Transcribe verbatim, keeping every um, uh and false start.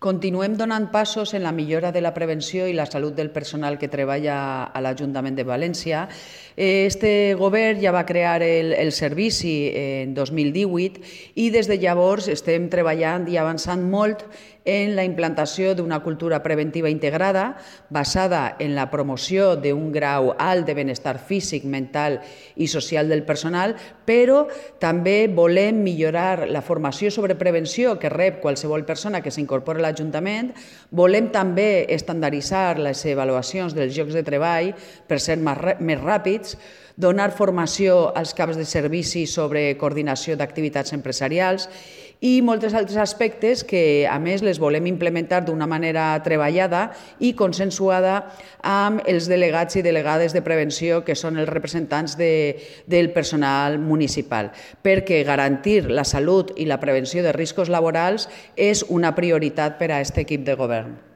Continuem donant passos en la millora de la prevenció i la salut del personal que treballa a l'Ajuntament de València. Este govern ja va crear el, el servici en dos mil divuit i des de llavors estem treballant i avançant molt en la implantació d'una cultura preventiva integrada basada en la promoció d'un grau alt de benestar físic, mental i social del personal, però també volem millorar la formació sobre prevenció que rep qualsevol persona que s'incorpora a l'Ajuntament. Volem també estandarditzar les avaluacions dels llocs de treball per ser més ràpids, donar formació als caps de servici sobre coordinació d'activitats empresarials i molts altres aspectes que, a més, les volem implementar d'una manera treballada i consensuada amb els delegats i delegades de prevenció, que són els representants de, del personal municipal, perquè garantir la salut i la prevenció de riscos laborals és una prioritat per a aquest equip de govern.